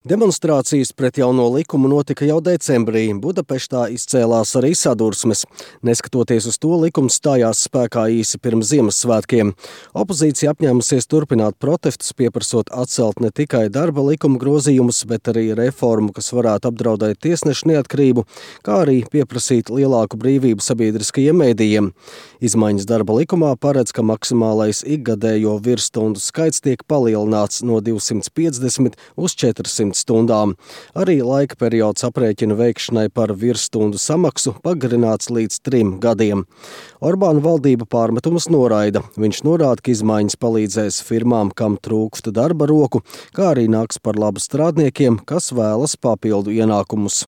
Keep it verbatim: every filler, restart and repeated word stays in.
Demonstrācijas pret jauno likumu notika jau decembrī. Budapeštā izcēlās arī sadursmes. Neskatoties uz to, likums stājās spēkā īsi pirms Ziemassvētkiem. Opozīcija apņēmusies turpināt protestus, pieprasot atcelt ne tikai darba likuma grozījumus, bet arī reformu, kas varētu apdraudēt tiesnešu neatkarību, kā arī pieprasīt lielāku brīvību sabiedriskajiem mēdījiem. Izmaiņas darba likumā paredz, ka maksimālais ikgadējo virsstundu skaits tiek palielināts no divsimt piecdesmit uz četrsimt stundām. Arī laika periods aprēķina veikšanai par virsstundu samaksu pagarināts līdz trim gadiem. Orbāna valdība pārmetumus noraida. Viņš norāda, ka izmaiņas palīdzēs firmām, kam trūkst darba roku, kā arī nāks par labu strādniekiem, kas vēlas papildu ienākumus.